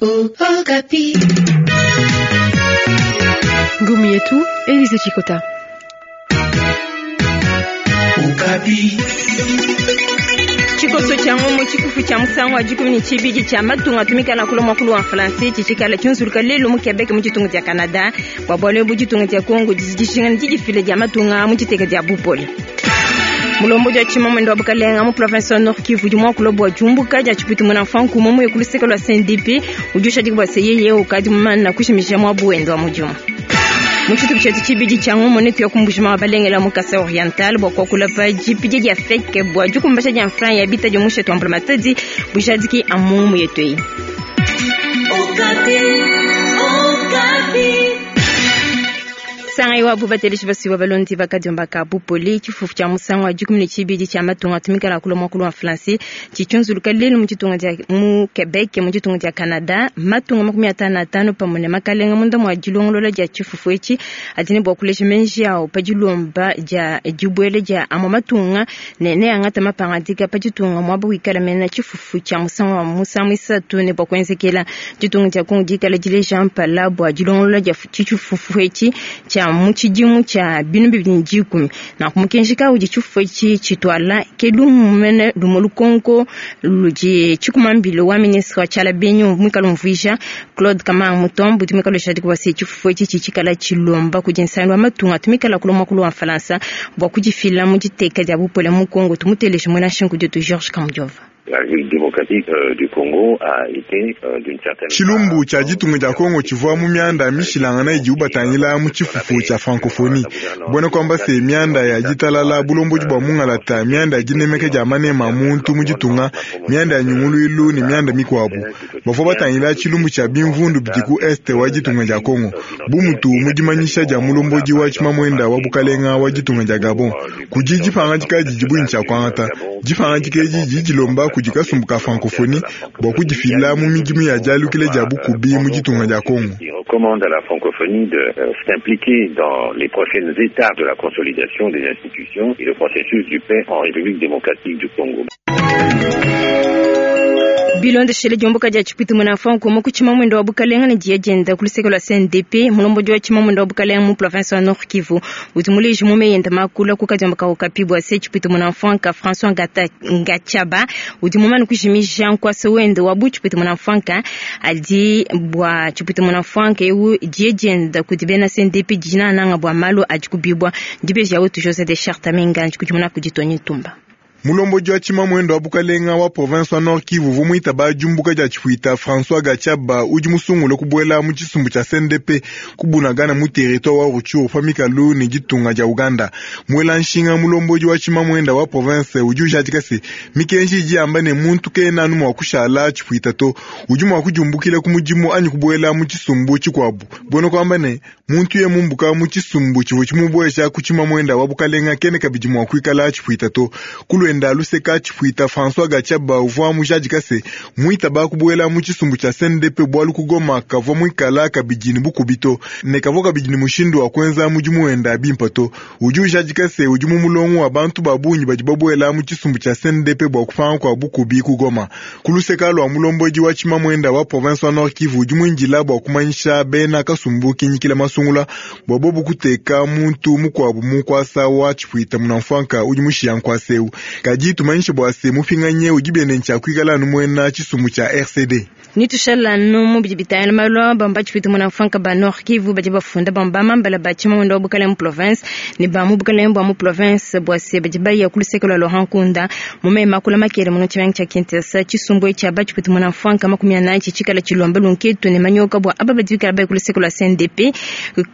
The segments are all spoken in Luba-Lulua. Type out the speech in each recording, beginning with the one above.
Okapi. Ngumu yetu Elise Chikota. Okapi. Tshikoso tshia ngomo tshikufu tshia musangu wa dikumi ne tshibidi tshia matunga atumikala kula muakulu wa français tshitshikala tshiunzuluka lelu mu Quebec mu ditunga dia Canada. Bua bualu ebu ditunga dia Congo didi dijinga ne didifila dia matunga mu diteka dia bupole. Mulombodi wa tshimamende wa bukalenga mu province wa Nord Kivu udi muakula bua diumbuka dia tshiputi muena mfanku muye ku luseke lua CNDP udi ushadika bua se yeye ukadi mumana kushimija muabu wende wa mudimu. Mu tshitupa tshietu tshibidi tshia ngumu ne tuya kumbujima wa balengela mu Kasai Oriental bua kuakula pa dipidia dia feke bua dikumbasha dia mfran ya bita dia mushetu wa mbulamatadi bujadiki amu ngumu yetu eyi. Okapi. Okapi. Sangai wabu bateleshi basuiwa balondi bakadiomba ka bupoli tshifufu tshia musangu wa dikumi ne tshibidi tshia matunga atumikala kula muakulu wa français tshitshiunzuluka lelu mu ditunga dia mu Quebec mu ditunga dia Canada. Matunga 55 pamue ne makalenga munda mua dilongolola dia tshifufu etshi adi ne bua kuleja menji awo pa dilomba dia dibuela dia amue matunga ne neangata mapangadika pa ditunga muaba wikala mena tshifufu tshia musangu wa musangu isatu ne bua kuenzekela. Ditunga dia Kongo dikala dileja mpala bua dilongolola dia tshifufu etshi tshia mu tshidimu tshia binu 2010. Nanku mukenji kaudi tshifufu etshi tshituala ke lumumene lumu lukonko ludi tshikumambile wa ministre wa tshiala benyi muikala umvuija Claude Kamanga Mutombo udi muikala ushadika bua se tshifufu etshi tshitshikala tshilomba kudi nsangilu wa matunga atumikala kula muakulu wa Falansa bua kudifila mu diteka dia bupole mu Kongo. Tumuteleje muena nshingu dietu Georges Kamujova. La République démocratique du Congo a été d'une certaine Tshilumbu tshia ditunga dia Kongo tshivua mu mianda mishilangana idibu batangila mu tshifufu tshia francophonie. Buena kuamba se mianda ya ditalala, bulombodi bua mungalata, mianda ya dinemeka dia manema a muntu mu ditunga, mianda ya nyunguluilu ne mianda mikuabu. Bavua batangila tshilumbu tshia bimvundu bidi ku este wa ditunga dia Kongo. Bu mutu mu dimanyisha dia mulombodi wa tshimamuenda wa bukalenga wa ditunga dia Gabon, kudi dipangadika didi ne tshia kuangata. Dipangadika edi didi dilomba kudi kasumbu ka francophonie bua kudifila mu midimu ya dialukila dia bukubi mu ditunga dia Kongo. Il recommande à la francophonie de s'impliquer dans les prochaines étapes de la consolidation des institutions et le processus du paix en République démocratique du Congo. Bilondeshele diomboka dia tshiputi muena mfanku mu tshimamende wa bukalenga ne diya dienda ku luseke lua CNDP mulombodi wa tshimamende wa bukalenga mu province wa Nord Kivu udi muleji mu meyenda makula ku kadiomba ka Okapi bua se tshiputi muena mfanka François Ngata Ngachaba udi mumane kujimija nkuasa wende wa bu tshiputi muena mfanka adi bua tshiputi muena mfanka eu diya dienda kudi bena CNDP dinananga bua malu adi kubibwa dibeji ya wetu José de Charte Menganji kudi kudi Tony Ntumba. Mulombodi wa tshimamuende wa bukalenga wa province wa Nord Kivu uvua muitaba diumbuka dia tshipuita François Gachaba udi musungule kubuela mu tshisumbu tshia CNDP kubunagana mu territoire wa Rutshuru pa mikalu ne ditunga dia Uganda. Muela nshinga mulombodi wa tshimamuenda wa province udi ujadika se mikenji idi yamba ne muntu kena anu mua kushala tshipuita to, udi mua kudiumbukila ku mudimu anyi kubuela mu tshisumbu tshikuabu. Buena kuamba ne muntu ye mumbuka mu tshisumbu tshivua tshimubueja ku tshimamuenda wa bukalenga kena kabidi mua kuikala tshipuita to. Kulwenda luseka tshipuita François Gachaba uvua mujadika se muitaba kubuela mu tshisumbu tshia CNDP bualu ku Goma kavua muikala kabidi ne bukubi to ne kavua kabidi ne mushindu wa kuenza mudimu wenda bimpe to. Udi ujadika se udi mu mulongo wa bantu ba bungi badi babuela mu tshisumbu tshia CNDP bua kupanga kua bukubi ku Goma. Ku luseka lua mulombodi wa tshimamuenda wa province wa Nord Kivu udi muindila bua kumanyisha bena kasumbu kinyikila masungula bua bobu kuteka muntu mukuabu mu nkuasa wa tshipuita munamfuanka udi mushiya nkuasa eu. Kadi tumanyishe bua se mupinganye udi biende ntshia kuikala anu muena tshisumbu tshia RCD. Nitushala nu bidi bitangila malu bamba tshipuita munamfuanka ba Nord Kivu badi bafunda bamba mambala ba tshimamuenda wa bukalenga mu province ne ba mu bukalenga bua mu province bua se badi baya ku luseke lua Laurent Nkunda mu mema kula makele muno tshimenga tshia Kinshasa. Tshisumbu etshi aba tshipuita munamfuanka 40 tshikala tshilomba lunketu ne manyoka bua aba badi bikala baya ku luseke lua CNDP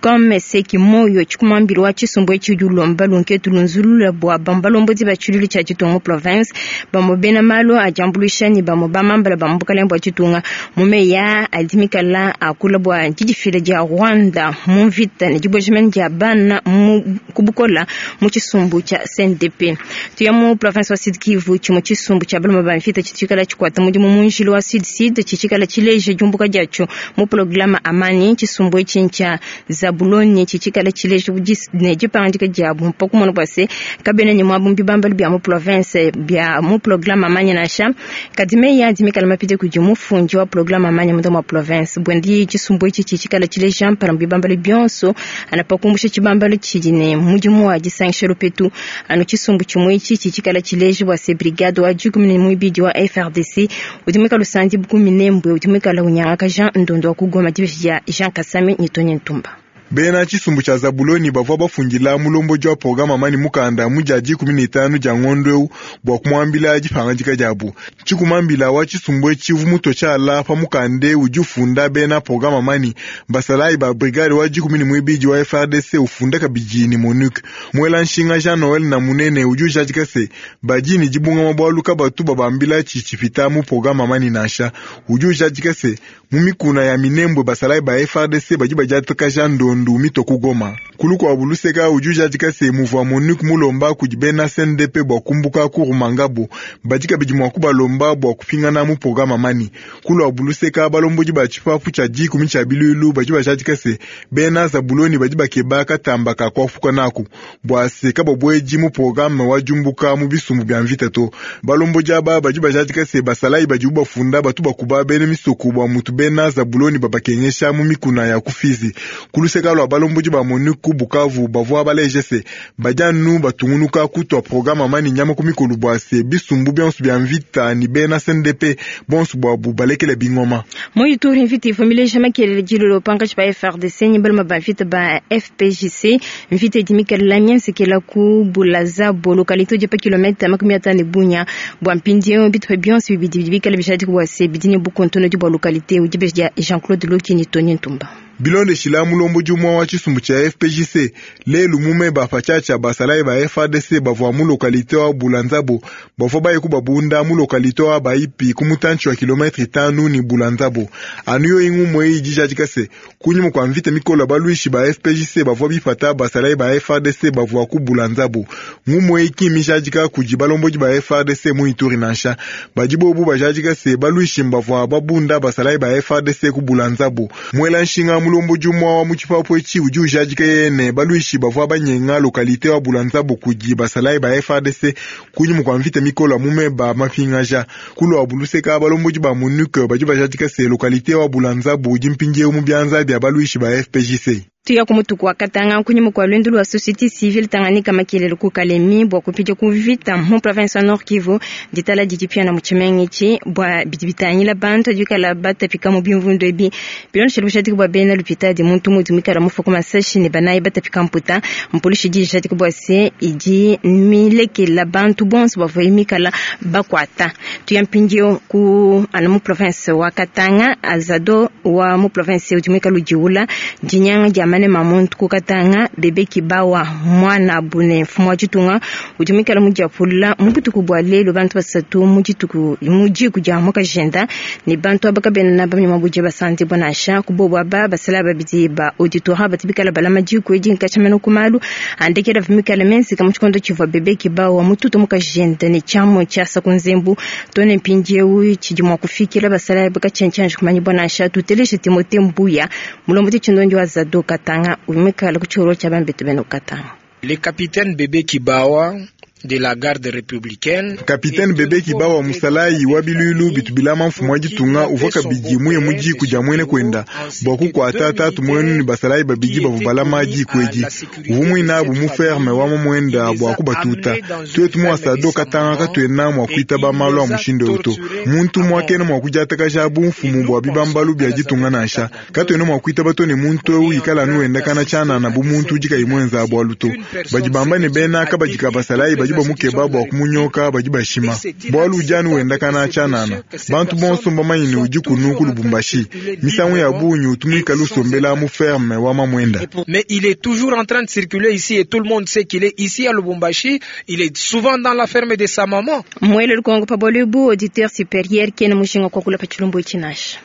comme seki moyo tshikumambilo wa tshisumbu etshi udi ulomba lunketu lunzulula bua bamba lombodi ba tshilulu tshia ditunga mu province bamue bena malu adiambuluisha ne bamue bamambala ba mu bukalenga bua ditunga. Mu meya adi mikala akula bua didifila dia Rwanda mu mvita ne dibuejimene dia bana mu kubukola mu tshisumbu tshia CNDP. Tuya mu province wa Sud Kivu tshimue tshisumbu tshia baluma ba mvita tshitshikala tshikuata mudimu mu njila wa Sud Sud tshitshikala tshileja diumbuka diatsho mu programa Amani. Tshisumbu etshi ntshia Zabuloni tshitshikala tshileja ne dipangadika diabu mpa kumona bua se kabena ne muabu mbibambalu bia mu province. province bia mu programme amanya nansha. Kadi meyi adi mikala mapite kudi mufundi wa programme amanya munda mua province. Buendi tshisumbu etshi tshikala tshileja mpala mu bibambalu bionso ana pa kumbusha tshibambalu tshidi ne mudimu wa disangisha lupetu. Anu tshisumbu tshimue etshi tshikala tshileja bua se brigade wa 12 wa FRDC udi muikala usandi ku Minembwe udi muikala unyangakaja ndondo wa ku Goma dibeji dia Jean Kasami ne Tony Ntumba. Bena tshisumbu tshia Zabuloni bavua bafundila mulombodi wa programme amani mukanda mu dia 15 dia ngondo eu bua kumuambila dipangadika diabu. Tshikumambila wa tshisumbu etshi uvua mutue tshiala pa mukanda udi ufunda bena programme amani basalayi ba brigade wa 12 wa FRDC ufunda kabidi ne MONUC. Muela nshinga Jean Noel na munene udi ujadika se badi ne dibungama bualu kabatu babambila tshitshipita mu programme amani nansha. Udi ujadika se mu mikuna ya Minembwe basalayi ba FRDC badi badiatakaja ndondo mito ku Goma. Kulu kwa buluseka udi ujadika se muvua MONUC mulomba kudi bena CNDP bua kumbuka ku Rumangabo badi kabidi mua kubalomba bua kupingana mu programme amani. Kulu wa buluseka balombodi ba tshipapu tshia 10 tshia bilulu badi bajadika se bena Zabuloni badi bakeba katamba ka kuafuka naku bua se kababweji mu programme wa jumbuka mu bisumbu bia mvita to. Balombodi aba badi bajadika se basalayi badi bafunda batu bakuba bena misoko bua mutu bena Zabuloni babakengesha mu mikuna ya kufizi. Kuluseka lwa balombodi ba MONUC ku Bukavu bavua baleje se badi anu batungunuka kutua programme amani nyama ku mikolo bua se bisumbu bionso bia mvita ni bena CNDP bonso bwabu balekele bingoma. Mu Ituri mvita ivua mileja makelele dilolo pankatshi pa FRDC ne baluma ba mvita ba FPJC. Mvita idi mikale mienzekela ku Bulaza localité udi pa kilomètre 50 Bunia bua mpindieu bitupa bionso bibidi bidi bikale bijadika bua se bidi ne bukontonodi bua localité udi beji dia Jean-Claude Loki ne Tony Ntumba. Bilondeshila mulombodi umue wa tshisumbu tshia FPJC lelu mume bapatshiatshia basalayi ba FARDC bavua mu localité wa Bulanzabo bavua baye kubabunda mu localité wa Baipi ku mutantshi wa kilometre 5 ni Bulanzabo. Anu yo ingumwe idi jadika se kunyuma kwa mvita mikolo baluishi ba FPJC bavua bipata basalayi ba FARDC bavua ku Bulanzabo. Ngumwe iki mijadika kudi balombodi ba FARDC mu Ituri nansha badi bobu bajadika se baluishi bavua babunda basalayi ba FARDC ku Bulanzabo. Mwela nshinga mulombodi umwe wa mu tshipapu etshi udi ujadika yene baluishi bavua banyenga localité wa Bulanzabo kudi basalayi ba FARDC kunyuma kwa mvita mikolo mume ba mapingaja. Kulu wa buluseka balombodi ba MONUC badi bajadika se localité wa Bulanzabo udi mpindieu mu bianza bia baluishi ba FPJC. Tuya ku mutuku wa Katanga kunyuma kwa lwendo lwa société civile Tanganyika makelele ku Kalemi bua kupita ku vita mu province ya Nord Kivu ditala didi pia na mutshimenga etshi bua bidi bitangila bantu adikala batapika mu bimvundu ebi bilondeshela bushadiki bua bena lupitadi muntu mudi muikala mufa ku masashi ne banayi batapika mputa mpolisi idi ijadika bua se idi milekela bantu bonso bavua mikala bakwata. Tuya mpindieu ku ana mu province wa Katanga azado wa mu province udi muikala udiula dinyanga dia mane mamuntu ku Katanga bebe kibawa mwana bune mfumu wa ditunga udi muikala mudiapula mu butuku bua lelu bantu basatu mu dituku mu diku dia mukajenda ne bantu aba kabena na bamnyama budi basandi bonansha kubobo aba basala babidi ba auditora batibikala balama diku edi nkachameno kumalu andekela vimikala mensi kama tshikondo tshivua bebe kibawa mututu mukajenda ne tshiamu tshiasa ku nzembu tone mpindieu tshidi mua kufikila basala bakatshentshanje kumanyi bonansha tuteleshe Timothée Mbuya mulombodi tshindondi wa Zado Katanga umikala ku tshiolo tshia bambetu bena Katanga. Le capitaine Bebe Kibawa de la garde républicaine. Capitaine Bebe Kibawa musalayi wa bilulu bitubilama mfumu wa ditunga uvua kabidi muye mu diku dia muene kwenda bua kukuata tatu muenu ne basalayi babidi bavua balama diku edi uvua muinabu mu ferme wa mamwenda bua kubatuta. Tuetu mu asado Katanga katuena mua kuitaba malu a mushindu eu to. Muntu muakena mua kudiatakaja bu mfumu bua bibambalu bia ditunga nansha. Katuena mua kuitaba to ne muntu eu ikala anu wenda kana tshianana bu muntu udi kayi muenza bualu to. Badi bamba ne bena kabadika basalayi badi bamukeba bua kumunyoka badi bashima bualu udi anu wenda kana tshianana. Bantu bonso mbamanye ne udi kunu ku Lubumbashi misangu ya bungi utumika lusombela mu ferme wa mamwenda. Mais il est toujours en train de circuler ici et tout le monde sait qu'il est ici à Lubumbashi. Il est souvent dans la ferme de sa maman. Mwele lukongo pa bolubu auditeur supérieur kena mushinga kwa kula pa chilumbu ichinasha.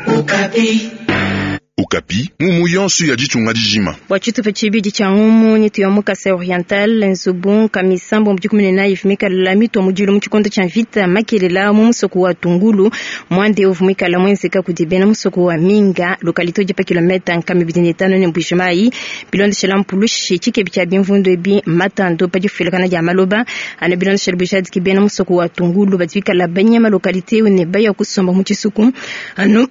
Okapi. Okapi, ngumu yonso ya ditunga dijima. Bua tshitupa tshibidi tshia ngumu nyitu ya mu Kasai Oriental, nzubu nkamisambo mu 14 ivua mikala mitua mudilu mu tshikondo tshia mvita makelela mu musoko wa Tungulu. Muanda eu uvua muikala muenzeka kudi bena musoko wa Minga, localité udi pa kilometa 205 ne Mbuji-Mayi. Bilondeshela mpulushi, tshikebi tshia bimvundu ebi mmatandu pa difuilakana dia maloba. Anu bilondeshela bujadiki, bena musoko wa Tungulu badi bikala banyema localité eu ne baya kusomba mu tshisuku. Anu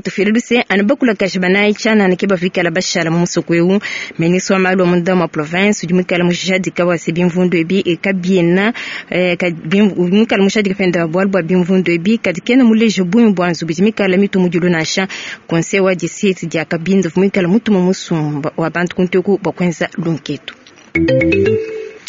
tufile luse, anu bakulakaji banayi tshianana ke bavua bikala bashala mu musoko eu. Ministre wa malu a munda mua province udi muikale mujadika wa se bimvundu ebi kabiena muikale mujadika pende bualu bua bimvundu ebi, kadi kena muleje bungi bua nzubu idi mikale mitu mudilu nansha. Conseil wa district dia Kabinda uvua muikale mutuma musumba wa bantu kuntu eku bua kuenza lunketu.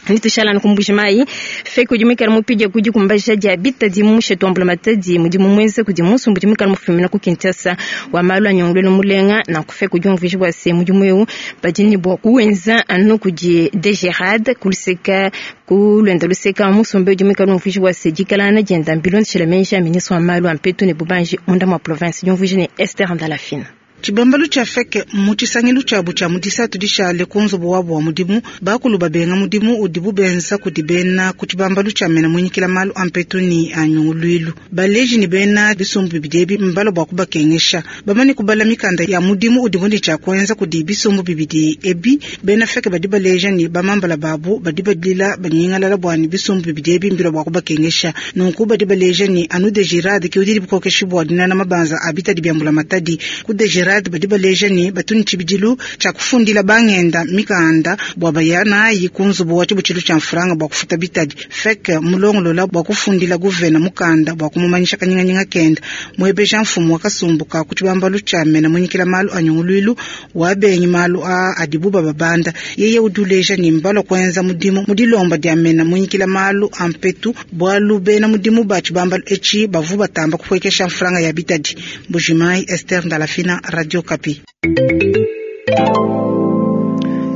Nitushala ku Mbuji-Mayi, FEC udi muikale mupidia ku dikumbaja dia bitadi mu mushetu wa mbulamatadi mudimu muenza kudi musumba udi muikale mufumina ku Kinshasa wa malu a nyongolwelu mulenga. Nanku FEC udi umvuija bua se mudimu eu badi ne bua kuwenza anu kudi DGRAD kuluseka ku luenda luseka. Musumba udi muikale umvuija bua se dikalangana dienda mbilondeshela meji a ministre wa malu a mpetu ne bubanji munda mua province. Diumvuija ne Esther Ndalafina. Tshibambalu tshia FEC mu tshisangilu tshiabu tshia mu disatu dishale ku nzubu wabu wa mudimu, bakulu babenga mudimu udibu benza kudi bena ku tshibambalu tshia mena muinyikila malu a mpetu ne a nyunguluilu. Baleji ne bena bisumbu bibidi ebi mbala bua kubakengesha. Bamane kubala mikanda ya mudimu udibu ne tshia kuenza kudi bisumbu bibidi ebi, bena FEC badi baleja ne bamambala babu badi badila banyingalala bua ne bisumbu bibidi ebi mbila bua kubakengesha. Nunku badi baleja ne anu DGRAD ke udi bukokeshi bua dinana mabanza a bitadi bia mbulamatadi. Ku DGRAD badi baleja ne batu ne tshibidilu tshia kufundila bangenda mikanda bua baya nayi ku nzubu wa tshibutshilu tshia mfranga bua kufuta bitadi. FEC mulongolola bua kufundila guvena mukanda bua kumumanyisha kanyinganyinga kenda. Muebeja mfumu wa kasumbu ka ku tshibambalu tshia mena muinyikila malu a nyunguluilu wa benyi malu a adibu bababanda. Yeye udi uleja ne mbalua kuenza mudimu mu dilomba dia mena muinyikila malu a mpetu bualu bena mudimu ba tshibambalu etshi bavu batamba kupuekesha mfranga ya bitadi. Mbuji-Mayi, Esther Ndalafina, Radio Okapi.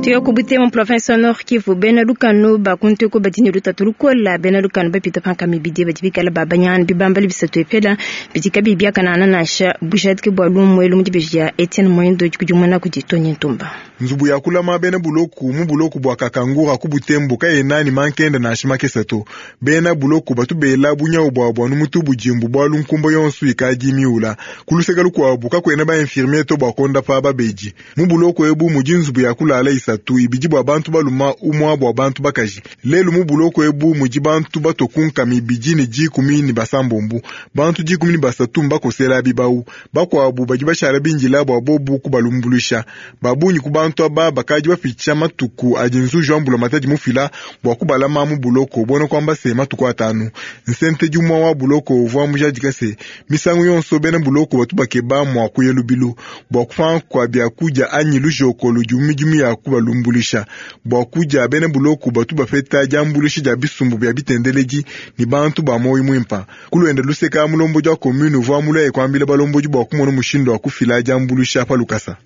Tuya ku Butembo, province Nord Kivu, bena lukanu bakuntu ko badi ne lutatu lukola. Bena lukanu bapita panka mibidi badi bikala babanyana bibambali bisatu epela bidi kabi biakanana nansha bujadiki bua lumuelu mu dibeji dia Etienne Moindo kudi kudi Tony Ntumba. Nzubu ya kulama bena buloku mu buloku bua Kakangura ku Butembo kayena ne mankenda nansha makese to. Bena buloku batu bela bunyawu buabu anu mutu budimbu bualu nkumba yonso ikadi miula. Ku luseke lukuabu kakuena ba infirmier to bua kondapa babedi. Mu buloku ebu mudi nzubu ya kulala isatu, ibidi bua bantu baluma, umua bua bantu bakaji. Lelu mu buloku ebu mudi bantu batokunka mibidi ne 16. Bantu 13 mbakosela bibawu. Bakuabu badi bashala bindila bua bobu kubalumbuluisha. Babunyi ku bantu aba bakadi bapitsha matuku adi nzuji wa mbulamatadi mufila bua kubalama mu buloko bona kwamba se matuku atanu. Nsentedi umua wa buloko uvua mujadika se misangu yonso bena buloko batu bakeba mua kuya lubilu bua kupanga kua biakudia anyi lujoko ludi mu midimu ya kubalumbulisha. Bua kudia bena buloko batu bapeta diambuluisha dia bisumbu bia bitendeledi ne bantu ba moyo muimpa. Kuluenda luseka mulombodi wa commune uvua mulaye kuambila balombodi bua kumona mushindu wa kufila diambuluisha pa lukasa.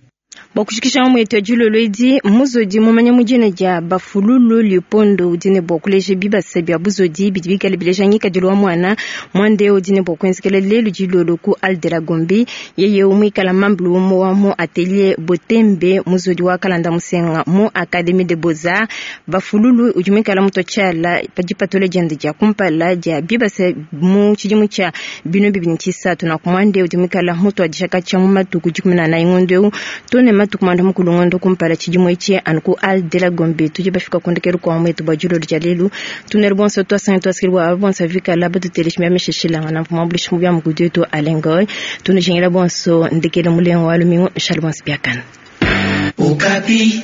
Bua kushikisha mwetu ya dilolo edi, muzodi mumanya mudina dia Bafululu Lipondo udi ne bua kuleja bibasa bia buzodi bidi bikale bileja ngikadilu wa mwana. Mwande udi ne bua kuenzekela lelu dilolo ku Al de la Gombe. Yeye umuikala mambulu wa mu atelier Botembe muzodi wa kalanda musenga mu Académie de Beaux-Arts. Bafululu udi muikala mutotshala pa dipatula diende dia kumpala dia bibasa mu tshidimu tshia bino bibini tshisatu. Na kumwande udi muikala mutuadija katshia mu matuku 14 ngondo eu tone matuku mwanda mukulu ngondo kumpala tshidimu etshi anu ku Al de la Gombe. Tudi bafika kundekelu kwa mwetu bua dilolo dia lelu. Tuneri bonso twasanga twasikilwa aba bonso vikala batuteleshimia mishishilanga na mvuma bulishi mu bya mukudu wetu Alengoy. Tunujingila bonso ndekele mulengo wa lumingu nshali bonso biakana. Okapi.